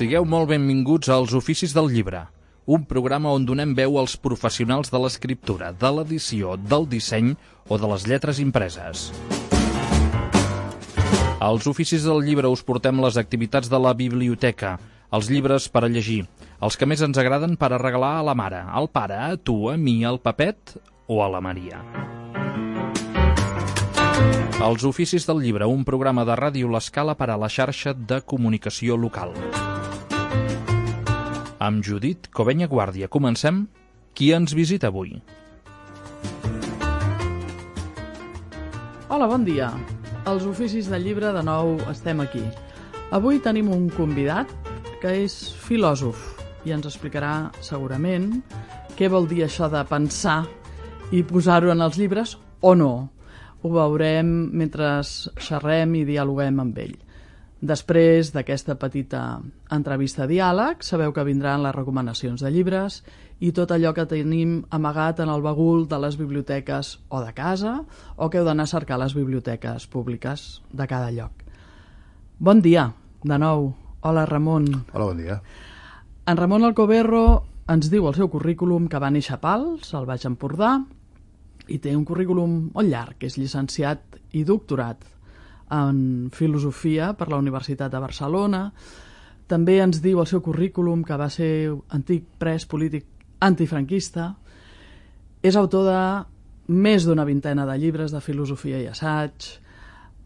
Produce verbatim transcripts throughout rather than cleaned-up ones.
Sigueu molt benvinguts als Oficis del Llibre, un programa on donem veu als professionals de l'escriptura, de l'edició, del disseny o de les lletres impreses. Als Oficis del Llibre us portem les activitats de la biblioteca, els llibres per a llegir, els que més ens agraden per a regalar a la mare, al pare, a tu, a mi, al Pepet o a la Maria. Els Oficis del Llibre, un programa de Ràdio L'Escala per a la xarxa de comunicació local. Amb Judit Covenya Guàrdia. Comencem. Qui ens visita avui? Hola, bon dia. Als Oficis del Llibre de nou estem aquí. Avui tenim un convidat que és filòsof i ens explicarà segurament què vol dir això de pensar i posar-ho en els llibres o no. Ho veurem mentre xerrem i dialoguem amb ell. Després d'aquesta petita entrevista diàleg, sabeu que vindran les recomanacions de llibres i tot allò que tenim amagat en el bagul de les biblioteques o de casa o que heu d'anar a cercar a les biblioteques públiques de cada lloc. Bon dia, de nou. Hola, Ramon. Hola, bon dia. En Ramon Alcoberro ens diu el seu currículum que va néixer a Pals, al Baix Empordà, i té un currículum molt llarg, que és llicenciat i doctorat en filosofia per la Universitat de Barcelona. També ens diu el seu currículum que va ser antic pres polític antifranquista. És autor de més d'una vintena de llibres de filosofia i assaig.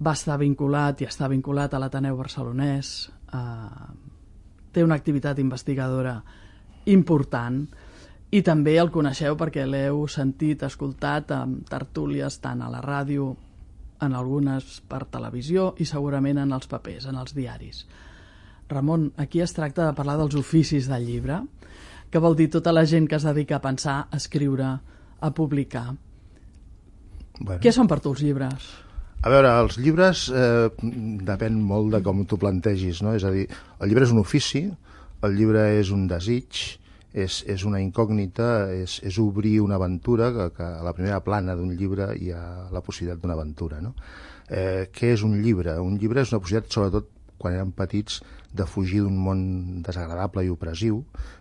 Va estar vinculat i està vinculat a l'Ateneu Barcelonès. Eh, té una activitat investigadora important i també el coneixeu perquè l'heu sentit, escoltat en tertúlies tant a la ràdio, en algunes per televisió i segurament en els papers, en els diaris. Ramon, aquí es tracta de parlar dels oficis del llibre, que vol dir tota la gent que es dedica a pensar, a escriure, a publicar. Bueno. Què són per tu els llibres? A veure, els llibres eh, depèn molt de com t'ho plantegis, no? És a dir, el llibre és un ofici, el llibre és un desig, és, és una incògnita, és, és obrir una aventura, que, que a la primera plana d'un llibre hi ha la possibilitat d'una aventura, no? Eh, què és un llibre? Un llibre és una possibilitat, sobretot quan érem petits, de fugir d'un món desagradable i opressiu,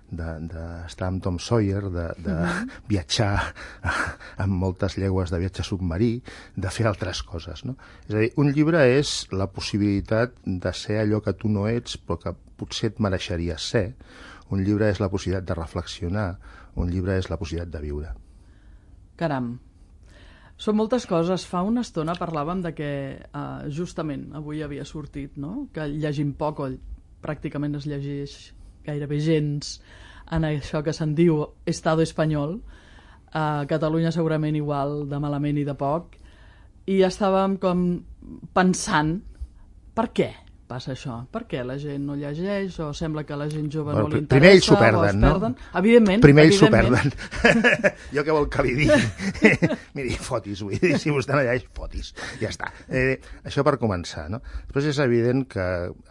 d'estar amb Tom Sawyer, de, de uh-huh. viatjar amb moltes llegües de viatge submarí, de fer altres coses, no? És a dir, un llibre és la possibilitat de ser allò que tu no ets, però que potser et mereixeries ser. Un llibre és la possibilitat de reflexionar, un llibre és la possibilitat de viure. Caram, són moltes coses. Fa una estona parlàvem de que uh, justament avui havia sortit, no? Que llegim poc o pràcticament es llegeix gairebé gens en això que se'n diu Estado espanyol. A Catalunya segurament igual de malament i de poc. I estàvem com pensant per què passa això? Per què la gent no llegeix o sembla que la gent jove bueno, no li interessa? Primer ells s'ho perden, no? Evidentment. Primer ells s'ho perden. Jo què vol que li digui? Miri, fotis, vull dir, si vostè no llegeix, fotis. Ja està. Eh, això per començar, no? Després és evident que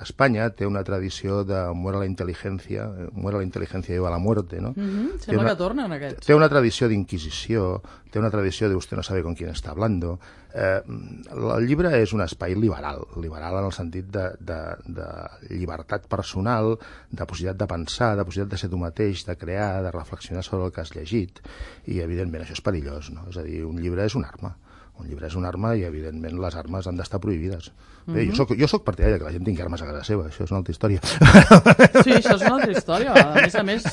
Espanya té una tradició de muera la intel·ligència, muera la intel·ligència i va la muerte, no? Mm-hmm. Sembla una, que tornen aquests. Té una tradició d'inquisició, té una tradició de usted no sabe con quién está hablando. Eh, el llibre és un espai liberal, liberal en el sentit de, de, de llibertat personal, de possibilitat de pensar, de possibilitat de ser tu mateix, de crear, de reflexionar sobre el que has llegit, i evidentment això és perillós, no? És a dir, un llibre és una arma. Un llibre és una arma i, evidentment, les armes han d'estar prohibides. Bé, mm-hmm. jo, soc, jo soc partidari que la gent tingui armes a casa seva, això és una altra història. Sí, això és una altra història. A més a més,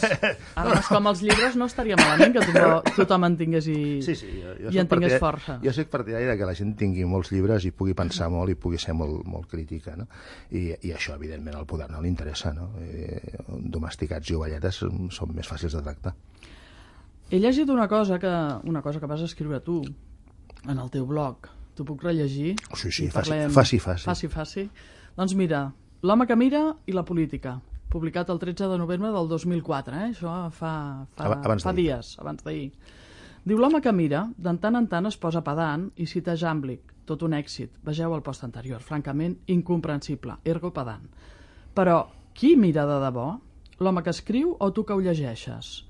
armes com els llibres no estaria malament que tothom, tothom en tingués i, sí, sí, jo, jo i en tingués força. Jo soc partidari que la gent tingui molts llibres i pugui pensar molt i pugui ser molt, molt crítica, no? I, I això, evidentment, al poder no li interessa, no? Eh, domesticats i ovelletes són més fàcils de tractar. He llegit una cosa que, una cosa que vas escriure tu, en el teu blog. T'ho puc rellegir? Sí, sí, faci, faci, faci. Faci, faci. Doncs mira, L'home que mira i la política, publicat el tretze de novembre del dos mil quatre, eh? Això fa, fa, abans fa dies, abans d'ahir. Diu, l'home que mira, de tant en tant es posa pedant i cita Jàmblic, tot un èxit. Vegeu el post anterior, francament incomprensible, ergo pedant. Però, qui mira de debò? L'home que escriu o tu que ho llegeixes?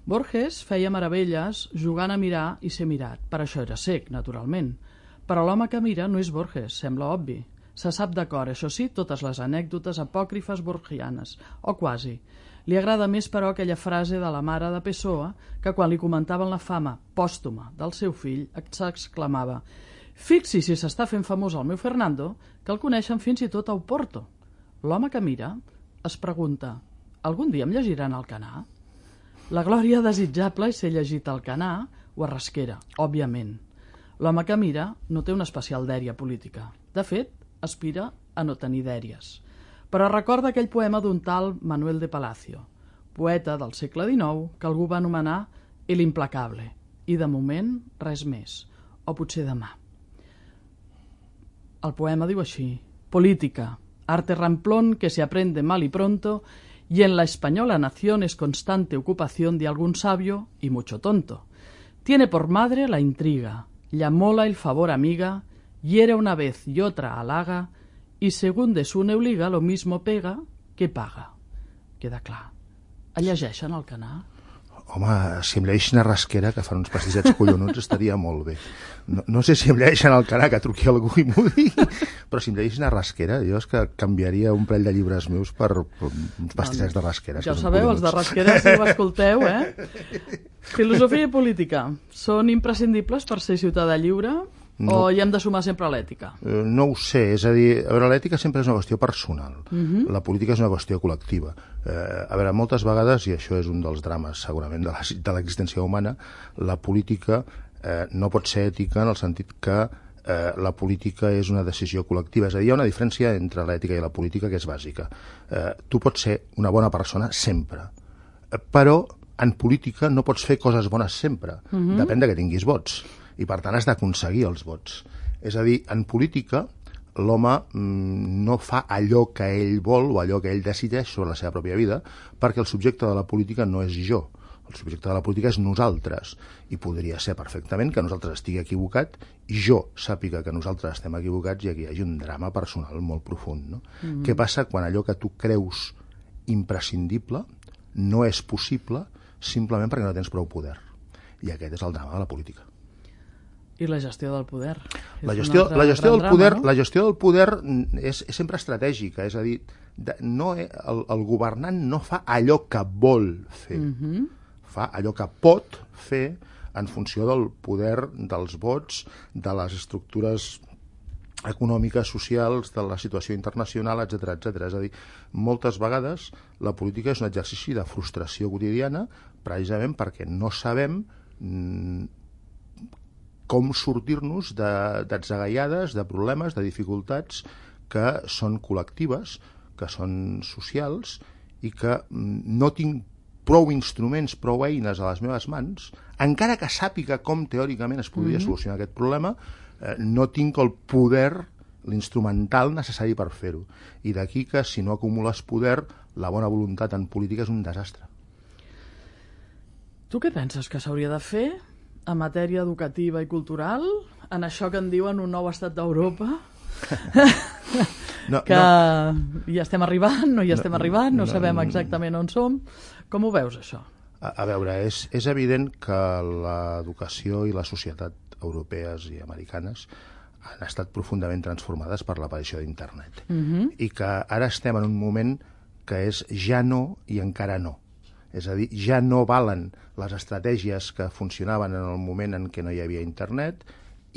Borges feia meravelles jugant a mirar i ser mirat. Per això era cec, naturalment. Però l'home que mira no és Borges, sembla obvi. Se sap d'acord, això sí, totes les anècdotes apòcrifes borgianes, o quasi. Li agrada més, però, aquella frase de la mare de Pessoa que quan li comentaven la fama pòstuma del seu fill s'exclamava: «Fixi si s'està fent famós el meu Fernando, que el coneixen fins i tot a Oporto». L'home que mira es pregunta: «Algun dia em llegiran Alcanar?» La glòria desitjable és ser llegit al Alcanar o a Rasquera, òbviament. L'home que mira no té una especial dèria política. De fet, aspira a no tenir dèries. Però recorda aquell poema d'un tal Manuel de Palacio, poeta del segle dinou que algú va anomenar El Implacable, i de moment res més, o potser demà. El poema diu així: política, arte ramplón que se aprende mal y pronto, y en la española nación es constante ocupación de algún sabio y mucho tonto. Tiene por madre la intriga, llamóla el favor amiga, hiere una vez y otra halaga, y según de su neuliga lo mismo pega que paga. Queda clar. El llegeixen al Alcanar? Home, si em llegeixen a Rasquera, que fan uns passissets collonuts, estaria molt bé. No, no sé si em llegeixen al Alcanar, que truqui algú i m'ho digui, però si em llegeixen a Rasquera, jo és que canviaria un parell de llibres meus per, per uns pastissets de Rasquera. Ja ho sabeu, els de Rasquera, si ho escolteu, eh? Filosofia i política són imprescindibles per ser ciutadà lliure? No. O hi hem de sumar sempre l'ètica? Uh, no ho sé, és a dir, a veure, l'ètica sempre és una qüestió personal, uh-huh. La política és una qüestió col·lectiva. Uh, a veure, moltes vegades, i això és un dels drames segurament de l'existència humana, la política uh, no pot ser ètica en el sentit que uh, la política és una decisió col·lectiva, és a dir, hi ha una diferència entre l'ètica i la política que és bàsica. Uh, tu pots ser una bona persona sempre, uh, però en política no pots fer coses bones sempre, uh-huh. Depèn de que tinguis vots. I per tant has d'aconseguir els vots. És a dir, en política l'home mmm, no fa allò que ell vol o allò que ell decideix sobre la seva pròpia vida, perquè el subjecte de la política no és jo. El subjecte de la política és nosaltres, i podria ser perfectament que nosaltres estigui equivocat i jo sàpiga que nosaltres estem equivocats i aquí hi hagi un drama personal molt profund. No? Mm-hmm. Què passa quan allò que tu creus imprescindible no és possible simplement perquè no tens prou poder? I aquest és el drama de la política. I la gestió del poder. La gestió, la gestió del poder, drama, no? La gestió del poder és, és sempre estratègica, és a dir, de, no, el, el governant no fa allò que vol fer, uh-huh. Fa allò que pot fer en funció del poder dels vots, de les estructures econòmiques, socials, de la situació internacional, etcètera, etcètera. És a dir, moltes vegades la política és un exercici de frustració quotidiana, precisament perquè no sabem mm, com sortir-nos d'atzagaiades, de, de problemes, de dificultats que són col·lectives, que són socials i que no tinc prou instruments, prou eines a les meves mans, encara que sàpiga com teòricament es podria mm-hmm. solucionar aquest problema, eh, no tinc el poder, l'instrumental necessari per fer-ho. I d'aquí que si no acumules poder, la bona voluntat en política és un desastre. Tu què penses que s'hauria de fer en matèria educativa i cultural, en això que en diuen un nou estat d'Europa, no, que no. Hi estem arribant, no hi estem no, arribant, no, no sabem exactament on som. Com ho veus, això? A, a veure, és, és evident que l'educació i la societat europees i americanes han estat profundament transformades per l'aparició d'internet. Uh-huh. I que ara estem en un moment que és ja no i encara no. És a dir, ja no valen les estratègies que funcionaven en el moment en què no hi havia internet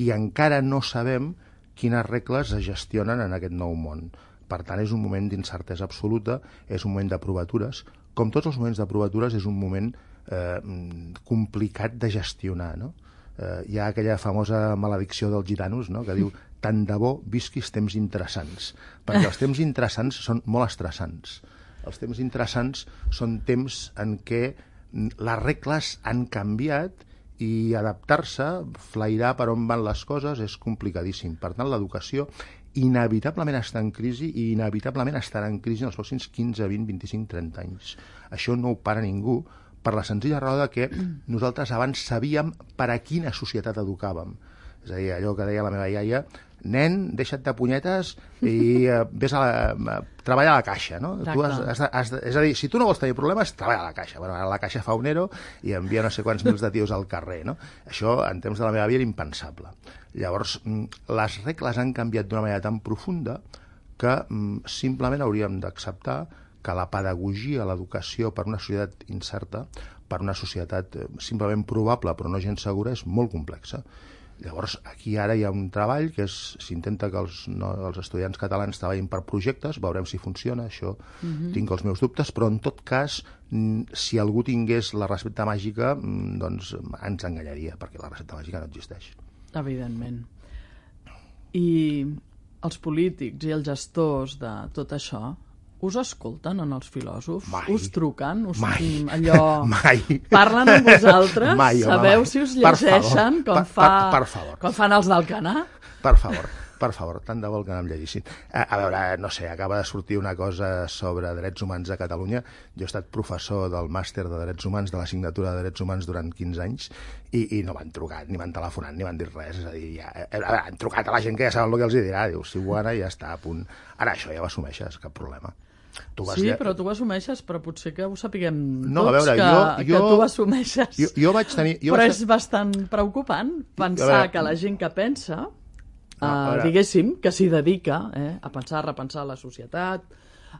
i encara no sabem quines regles es gestionen en aquest nou món. Per tant, és un moment d'incertesa absoluta, és un moment de provatures. Com tots els moments de provatures, és un moment eh, complicat de gestionar, no? Eh, hi ha aquella famosa maledicció dels gitanos, no?, que diu tant de bo visquis temps interessants, perquè els temps interessants són molt estressants. Els temps interessants són temps en què les regles han canviat i adaptar-se, flairar per on van les coses, és complicadíssim. Per tant, l'educació inevitablement està en crisi i inevitablement estarà en crisi en els pròxims quinze, vint, vint-i-cinc, trenta anys. Això no ho para ningú, per la senzilla raó de que nosaltres abans sabíem per a quina societat educàvem. És a dir, allò que deia la meva iaia, nen, deixa't de punyetes i uh, vés a, la, a treballar a la caixa, no? Tu has, has, has, és a dir, si tu no vols tenir problemes, treballa a la caixa. Bueno, ara la caixa fa un ero i envia no sé quants mils de tios al carrer, no? Això, en temps de la meva vida, era impensable. Llavors, les regles han canviat d'una manera tan profunda que simplement hauríem d'acceptar que la pedagogia, l'educació per una societat incerta, per una societat simplement probable però no gens segura, és molt complexa. Llavors, aquí ara hi ha un treball que s'intenta que els, no, els estudiants catalans treballin per projectes, veurem si funciona, això uh-huh. tinc els meus dubtes, però en tot cas, si algú tingués la recepta màgica, doncs ens enganyaria, perquè la recepta màgica no existeix. Evidentment. I els polítics i els gestors de tot això us escolten en els filòsofs? Mai. Us truquen? Us, mai. Allò... mai. Parlen amb vosaltres? Mai, home, Sabeu mai. si us llegeixen com, per, fa... per, per favor. com fan els d'Alcanar? Per favor, per favor, tant de bo que em llegissin. A, a veure, no sé, acaba de sortir una cosa sobre drets humans a Catalunya. Jo he estat professor del màster de drets humans, de l'assignatura de drets humans durant quinze anys, i, i no m'han trucat, ni m'han telefonat, ni m'han dit res. És a dir, ja, a veure, han trucat a la gent que ja saben el que els dirà. Diu, si ho ana, ja està a punt. Ara, això ja ho assumeixes, cap problema. Tu vas sí, lle... però tu ho assumeixes, però potser que ho sapiguem no, tots, a veure, que, jo, que jo, tu ho assumeixes. Jo, jo vaig tenir... Jo però vaig... és bastant preocupant pensar veure... que la gent que pensa, no, uh, diguéssim, que s'hi dedica eh, a pensar, a repensar la societat,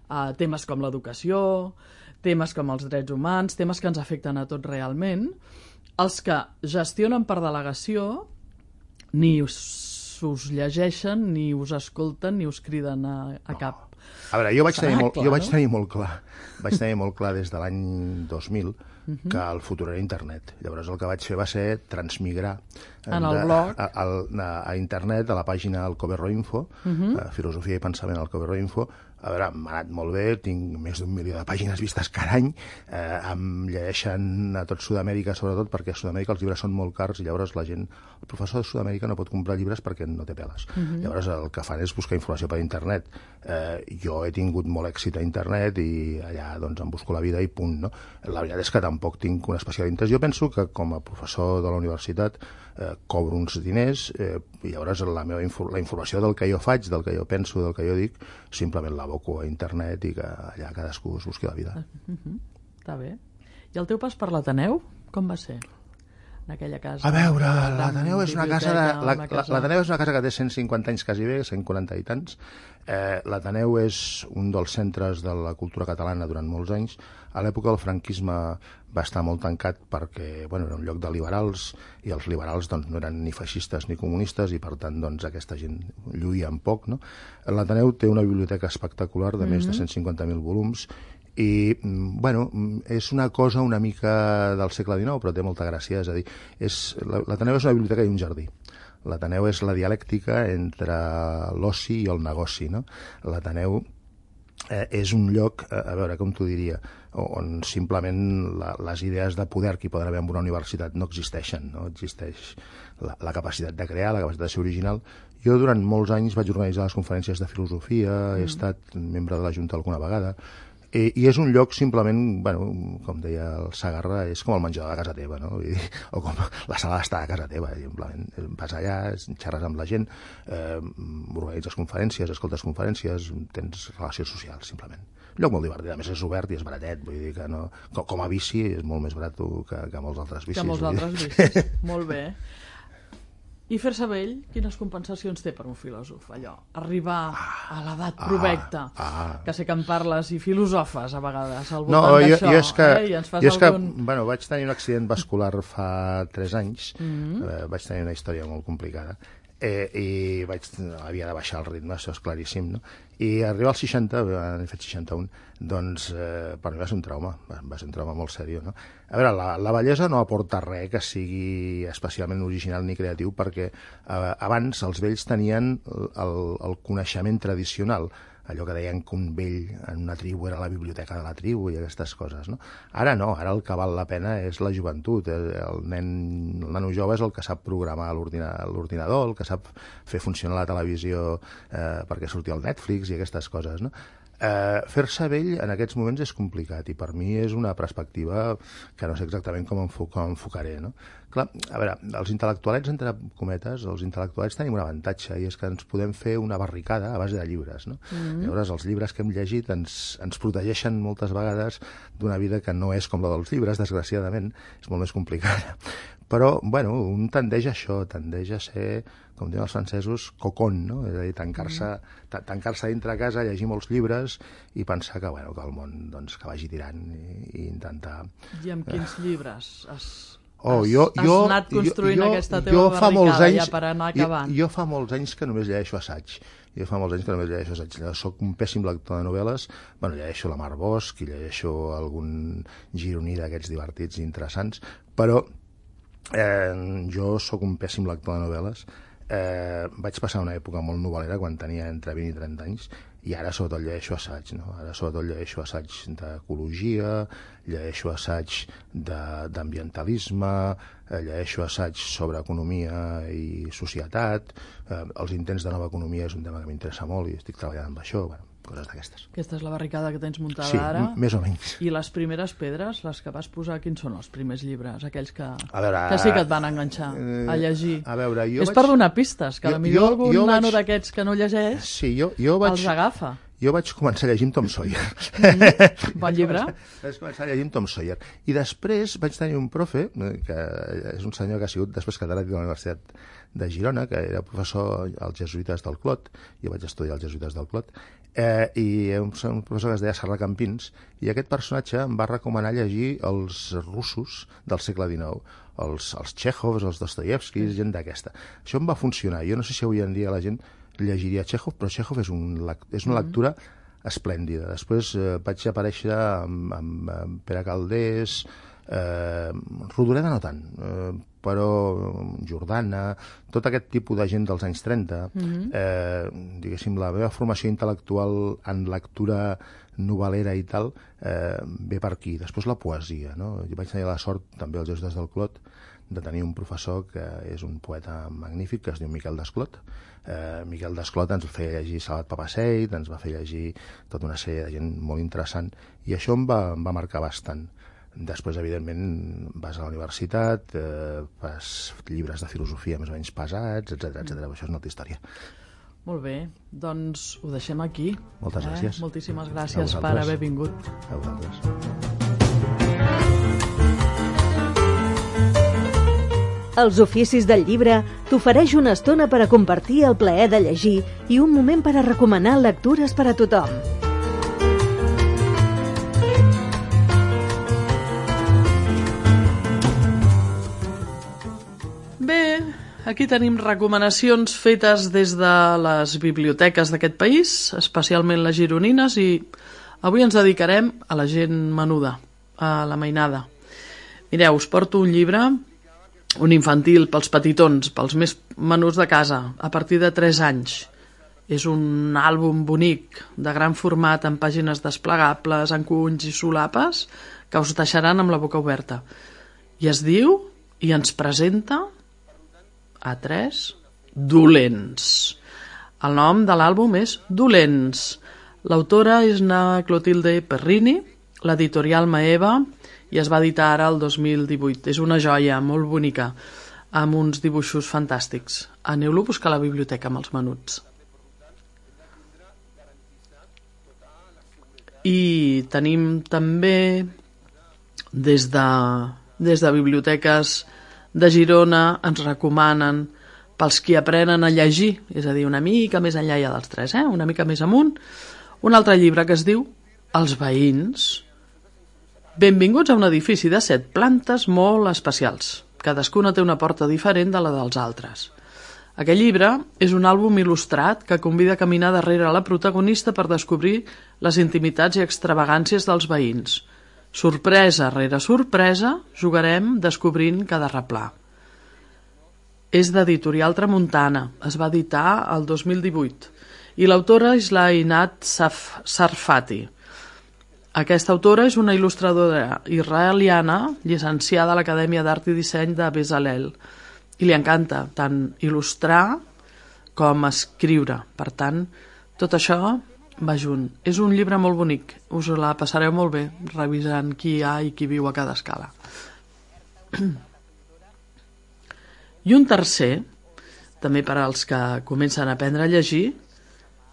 a temes com l'educació, temes com els drets humans, temes que ens afecten a tots realment, els que gestionen per delegació ni us, us llegeixen, ni us escolten, ni us criden a, a no. cap. A veure, jo vaig, tenir molt, clar, jo vaig no? tenir molt clar, vaig tenir molt clar des de l'any dos mil uh-huh. que el futur era internet. Llavors el que vaig fer va ser transmigrar en el de, blog a, a, a internet, a la pàgina Alcoverro Info, uh-huh. a Filosofia i Pensament Alcoverro Info. A veure, m'ha anat molt bé, tinc més d'un milió de pàgines vistes cada any, eh, em llegeixen a tot Sud-amèrica, sobretot perquè a Sud-amèrica els llibres són molt cars i llavors la gent, el professor de Sud-amèrica no pot comprar llibres perquè no té peles. Uh-huh. Llavors el que fan és buscar informació per internet. Eh, jo he tingut molt èxit a internet i allà doncs em busco la vida i punt, no? La veritat és que tampoc tinc un especial interès. Jo penso que com a professor de la universitat eh, cobro uns diners eh, i llavors la meva infor la informació del que jo faig, del que jo penso, del que jo dic, simplement la aboco a internet i que allà cadascú es busqui la vida. Uh-huh. Està bé. I el teu pas per l'Ateneu, com va ser? En aquella casa... A veure, l'Ateneu és una casa... De, la, casa... L'Ateneu és una casa que té cent cinquanta anys quasi bé, cent quaranta i tants. Eh, L'Ateneu és un dels centres de la cultura catalana durant molts anys. A l'època del franquisme va estar molt tancat perquè bueno, era un lloc de liberals i els liberals doncs, no eren ni feixistes ni comunistes i per tant doncs, aquesta gent lluïa en poc. No? L'Ateneu té una biblioteca espectacular de mm-hmm. més de cent cinquanta mil volums i, bueno, és una cosa una mica del segle dinou, però té molta gràcia, és a dir, l'Ateneu és una biblioteca i un jardí. L'Ateneu és la dialèctica entre l'oci i el negoci, no? L'Ateneu eh, és un lloc, eh, a veure, com t'ho diria, on simplement la, les idees de poder que hi poden haver en una universitat no existeixen, no existeix la, la capacitat de crear, la capacitat de ser original. Jo durant molts anys vaig organitzar les conferències de filosofia, mm. he estat membre de la Junta alguna vegada, I, i és un lloc simplement, bueno, com deia el Sagarra, és com el menjador de casa teva, no? Vull dir, o com la sala d'estar a casa teva, simplement. Vas allà, xerres amb la gent, eh, organitzes conferències, escoltes conferències, tens relacions socials, simplement. Un lloc molt divertit, a més és obert i és baratet, vull dir que no... Com, com a bici és molt més barat que, que molts altres bicis. Que molts altres bicis, molt bé. I fer-se vell, quines compensacions té per un filòsof? Allò, arribar ah, a l'edat provecta, ah, ah. que sé que en parles i filosofes a vegades al voltant no, d'això, eh? I ens fas jo és algun... que, bueno, vaig tenir un accident vascular fa tres anys, mm-hmm. eh, vaig tenir una història molt complicada, eh, i vaig, havia de baixar el ritme, això és claríssim, no? I arribar als seixanta, he fet seixanta-un, doncs eh, per mi va ser un trauma, va, va ser un trauma molt seriós, no? A veure, la, la bellesa no aporta res que sigui especialment original ni creatiu, perquè eh, abans els vells tenien el, el coneixement tradicional, allò que deien que un vell en una tribu era la biblioteca de la tribu i aquestes coses, no? Ara no, ara el que val la pena és la joventut, el nen, el nano jove és el que sap programar l'ordinador, el que sap fer funcionar la televisió eh, perquè surti al Netflix i aquestes coses, no? Eh, fer-se vell en aquests moments és complicat i per mi és una perspectiva que no sé exactament com, enfo com enfocaré, no? Clar, a veure, els intel·lectualets, entre cometes, els intel·lectualets tenim un avantatge i és que ens podem fer una barricada a base de llibres, no? Mm-hmm. Llavors, els llibres que hem llegit ens, ens protegeixen moltes vegades d'una vida que no és com la dels llibres, desgraciadament, és molt més complicada. però, bueno, un tendeix a això, tendeix a ser, com diuen els francesos, cocon, no? És a dir, tancar-se mm. tancar-se dintre a casa, llegir molts llibres i pensar que, bueno, que el món doncs, que vagi tirant i, i intentar... I amb quins llibres has, oh, has, jo, has jo, anat construint jo, aquesta teva jo barricada anys, ja per anar acabant? Jo, jo fa molts anys que només llegeixo assaig. Jo fa molts anys que només llegeixo assaig. Soc un pèssim lector de novel·les. Bueno, llegeixo la Mar Bosch i llegeixo algun gironí d'aquests divertits i interessants, però eh, jo sóc un pèssim lector de novel·les. Eh, vaig passar una època molt novel·lera quan tenia entre vint i trenta anys i ara sobretot llegeixo assaig, no? Ara sobretot llegeixo assaig d'ecologia, llegeixo assaig d'ambientalisme, llegeixo assaig sobre economia i societat, eh, els intents de nova economia és un tema que m'interessa molt i estic treballant amb això, bueno, coses d'aquestes. Aquesta és la barricada que tens muntada sí, ara? Sí, més o menys. I les primeres pedres, les que vas posar, quins són els primers llibres? Aquells que, veure, que sí que et van enganxar eh, a llegir. A veure, jo és vaig... per donar pistes, que jo, potser algun jo nano vaig... d'aquests que no llegeix sí, jo, jo vaig... els agafa. Jo vaig començar a llegir amb Tom Sawyer. Mm, bon llibre. Vaig començar a llegir amb Tom Sawyer. I després vaig tenir un profe, que és un senyor que ha sigut després catedràtic de la Universitat de Girona, que era professor als jesuïtes del Clot, jo vaig estudiar als jesuïtes del Clot, eh, i un, un professor que es deia Serra Campins, i aquest personatge em va recomanar llegir els russos del segle dinou, els, els Txéhovs, els Dostoievskis, gent d'aquesta. Això em va funcionar. Jo no sé si avui en dia la gent llegiria Txéhov, però Txéhov és, un, és una lectura esplèndida. Després eh, vaig aparèixer amb, amb, amb Pere Calders, eh, Rodoreda no tant, eh, però Jordana, tot aquest tipus de gent dels anys trenta, mm-hmm. eh, diguéssim, la meva formació intel·lectual en lectura novel·lera i tal, eh, ve per aquí. Després la poesia, no? Jo vaig tenir la sort, també als Jesuïtes del Clot, de tenir un professor que és un poeta magnífic, que es diu Miquel Desclot. Eh, Miquel Desclot ens va fer llegir Salvat Papasseit, ens va fer llegir tota una sèrie de gent molt interessant, i això em va, em va marcar bastant. Després, evidentment, vas a la universitat, eh, fas llibres de filosofia més o menys pesats, etcètera, etcètera. Això és una altra història. Molt bé, doncs ho deixem aquí. Moltes eh? gràcies. Moltíssimes gràcies per haver vingut. A vosaltres. Els oficis del llibre t'ofereix una estona per a compartir el plaer de llegir i un moment per a recomanar lectures per a tothom. Bé, aquí tenim recomanacions fetes des de les biblioteques d'aquest país, especialment les gironines, i avui ens dedicarem a la gent menuda, a la mainada. Mireu, us porto un llibre, un infantil pels petitons, pels més menuts de casa, a partir de tres anys. És un àlbum bonic, de gran format, amb pàgines desplegables, encunys i solapes, que us deixaran amb la boca oberta. I es diu, i ens presenta, a tres, Dolents. El nom de l'àlbum és Dolents. L'autora és na Clotilde Perrini, l'editorial Maeva, i es va editar ara el dos mil divuit. És una joia molt bonica, amb uns dibuixos fantàstics. Aneu-lo a buscar a la biblioteca amb els menuts. I tenim també, des de, des de biblioteques de Girona, ens recomanen pels qui aprenen a llegir, és a dir, una mica més enllà ja dels tres, eh? Una mica més amunt, un altre llibre que es diu Els veïns. Benvinguts a un edifici de set plantes molt especials. Cadascuna té una porta diferent de la dels altres. Aquest llibre és un àlbum il·lustrat que convida a caminar darrere la protagonista per descobrir les intimitats i extravagàncies dels veïns. Sorpresa rere sorpresa, jugarem descobrint cada replà. És d'editorial Tramuntana, es va editar el dos mil divuit, i l'autora és la Einat Sarfati. Aquesta autora és una il·lustradora israeliana llicenciada a l'Acadèmia d'Art i Disseny de Bezalel i li encanta tant il·lustrar com escriure. Per tant, tot això va junt. És un llibre molt bonic, us la passareu molt bé revisant qui hi ha i qui viu a cada escala. I un tercer, també per als que comencen a aprendre a llegir,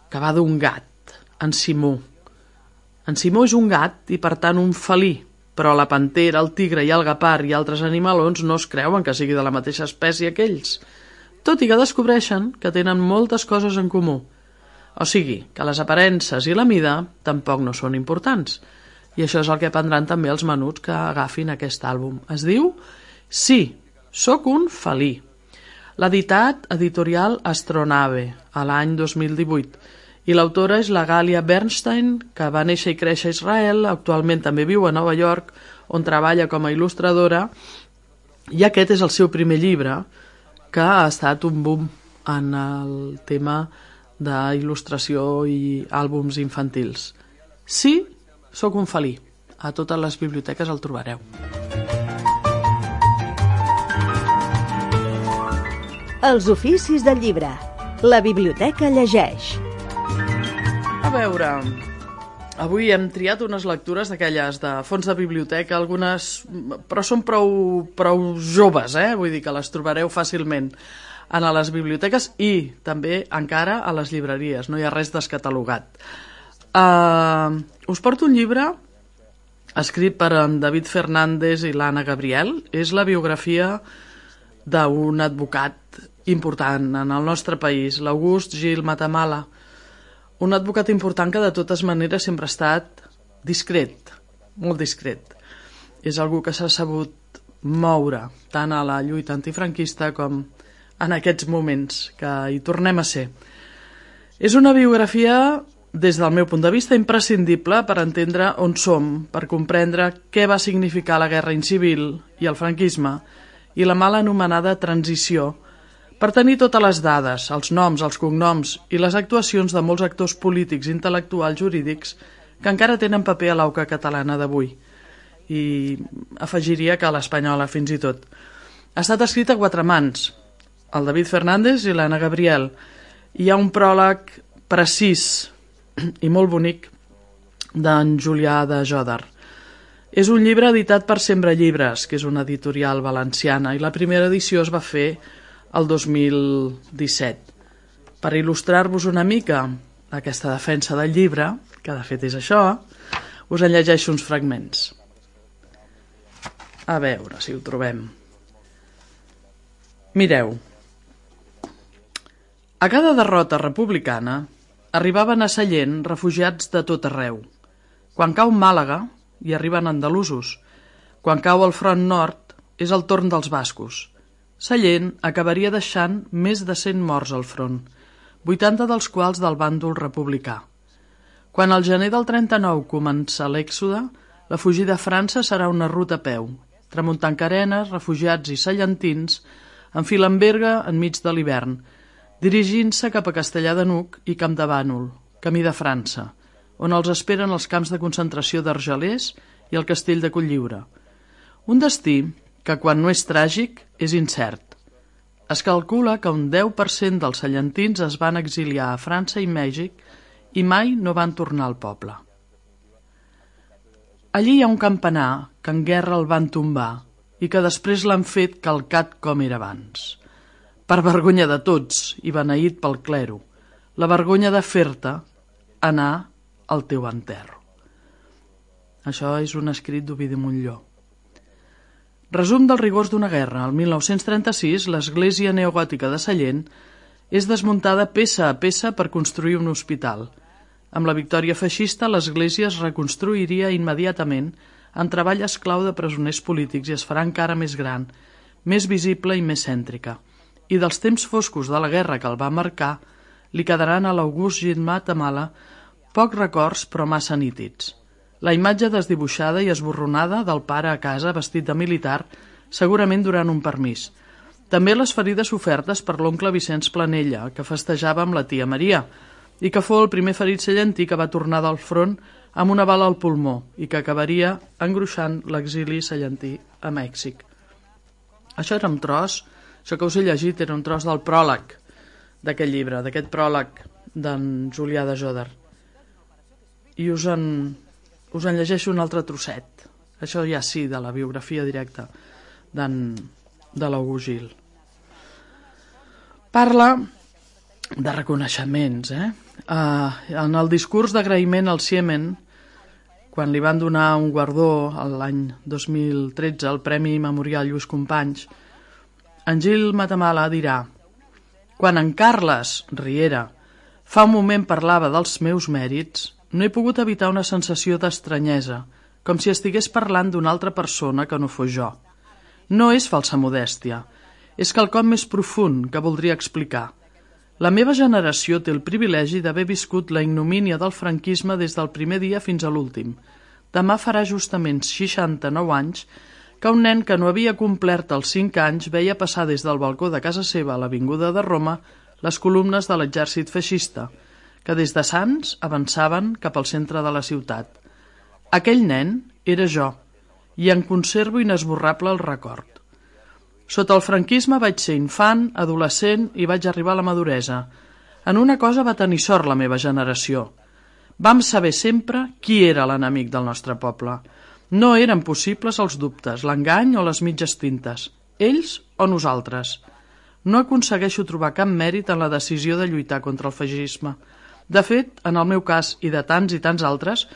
que va d'un gat, en Simó. En Simó és un gat i, per tant, un felí, però la pantera, el tigre i el guepard i altres animalons no es creuen que sigui de la mateixa espècie que ells, tot i que descobreixen que tenen moltes coses en comú. O sigui, que les aparences i la mida tampoc no són importants. I això és el que aprendran també els menuts que agafin aquest àlbum. Es diu Sí, sóc un felí. L'ha editat editorial Astronave a l'any dos mil divuit i l'autora és la Galia Bernstein, que va néixer i créixer a Israel, actualment també viu a Nova York, on treballa com a il·lustradora, i aquest és el seu primer llibre, que ha estat un boom en el tema d'il·lustració i àlbums infantils. Sí, sóc un felí. A totes les biblioteques el trobareu. Els oficis del llibre. La biblioteca llegeix. A veure, avui hem triat unes lectures d'aquelles de fons de biblioteca, algunes, però són prou, prou joves, eh? Vull dir que les trobareu fàcilment a les biblioteques i també encara a les llibreries, no hi ha res descatalogat. Uh, us porto un llibre escrit per en David Fernández i l'Anna Gabriel. És la biografia d'un advocat important en el nostre país, l'August Gil Matamala, un advocat important que de totes maneres sempre ha estat discret, molt discret. És algú que s'ha sabut moure tant a la lluita antifranquista com en aquests moments que hi tornem a ser. És una biografia, des del meu punt de vista, imprescindible per entendre on som, per comprendre què va significar la guerra incivil i el franquisme i la mal anomenada transició, per tenir totes les dades, els noms, els cognoms i les actuacions de molts actors polítics, intel·lectuals, jurídics que encara tenen paper a l'auca catalana d'avui. I afegiria que a l'espanyola fins i tot. Ha estat escrit a quatre mans, el David Fernández i l'Anna Gabriel. Hi ha un pròleg precís i molt bonic d'en Julià de Jòdar. És un llibre editat per Sembra Llibres, que és una editorial valenciana, i la primera edició es va fer el dos mil disset. Per il·lustrar-vos una mica aquesta defensa del llibre, que de fet és això, us en llegeixo uns fragments. A veure si ho trobem. Mireu. A cada derrota republicana arribaven a Sallent refugiats de tot arreu. Quan cau Màlaga, hi arriben andalusos. Quan cau el front nord, és el torn dels bascos. Sallent acabaria deixant més de cent morts al front, vuitanta dels quals del bàndol republicà. Quan al gener del trenta-nou comença l'èxode, la fugida a França serà una ruta a peu. Tramuntancarenes, refugiats i sallentins enfilen Berga enmig de l'hivern, dirigint-se cap a Castellar de Nuc i Camp de Bànol, camí de França, on els esperen els camps de concentració d'Argelers i el castell de Cotlliure. Un destí que quan no és tràgic és incert. Es calcula que un deu per cent dels sallentins es van exiliar a França i Mèxic i mai no van tornar al poble. Allí hi ha un campanar que en guerra el van tombar i que després l'han fet calcat com era abans. Per vergonya de tots i beneït pel clero, la vergonya de fer-te anar al teu enterro. Això és un escrit d'Ovidi Montllor. Resum dels rigors d'una guerra. El mil nou-cents trenta-sis, l'església neogòtica de Sallent és desmuntada peça a peça per construir un hospital. Amb la victòria feixista, l'església es reconstruiria immediatament en treball esclau de presoners polítics i es farà encara més gran, més visible i més cèntrica. I dels temps foscos de la guerra que el va marcar, li quedaran a l'August Gil Matamala pocs records però massa nítids. La imatge desdibuixada i esborronada del pare a casa vestit de militar, segurament durant un permís. També les ferides sofertes per l'oncle Vicenç Planella, que festejava amb la tia Maria, i que fou el primer ferit sallentí que va tornar del front amb una bala al pulmó i que acabaria engruixant l'exili sallentí a Mèxic. Això era un tros, això que us he llegit era un tros del pròleg d'aquest llibre, d'aquest pròleg d'en Julià de Jòdar. I us en... us en llegeixo un altre trosset. Això ja sí, de la biografia directa de l'August Gil. Parla de reconeixements. Eh? Uh, en el discurs d'agraïment al Ciemen, quan li van donar un guardó l'any dos mil tretze, el Premi Memorial Lluís Companys, en Gil Matamala dirà: quan en Carles Riera fa un moment parlava dels meus mèrits, no he pogut evitar una sensació d'estranyesa, com si estigués parlant d'una altra persona que no fos jo. No és falsa modèstia, és quelcom més profund que voldria explicar. La meva generació té el privilegi d'haver viscut la ignomínia del franquisme des del primer dia fins a l'últim. Demà farà justament seixanta-nou anys que un nen que no havia complert els cinc anys veia passar des del balcó de casa seva a l'Avinguda de Roma les columnes de l'exèrcit feixista, que des de Sants avançaven cap al centre de la ciutat. Aquell nen era jo, i en conservo inesborrable el record. Sota el franquisme vaig ser infant, adolescent i vaig arribar a la maduresa. En una cosa va tenir sort la meva generació. Vam saber sempre qui era l'enemic del nostre poble. No eren possibles els dubtes, l'engany o les mitges tintes. Ells o nosaltres. No aconsegueixo trobar cap mèrit en la decisió de lluitar contra el feixisme. De fet, en el meu cas i de tants i tants altres,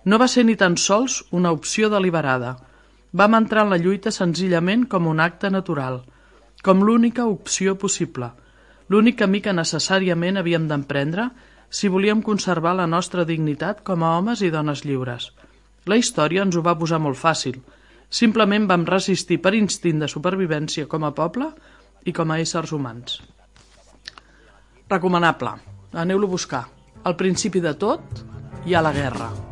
no va ser ni tan sols una opció deliberada. Vam entrar en la lluita senzillament com un acte natural, com l'única opció possible, l'únic camí que necessàriament havíem d'emprendre si volíem conservar la nostra dignitat com a homes i dones lliures. La història ens ho va posar molt fàcil. Simplement vam resistir per instint de supervivència com a poble i com a éssers humans. Recomanable. Aneu-lo a buscar. Al principi de tot hi ha la guerra.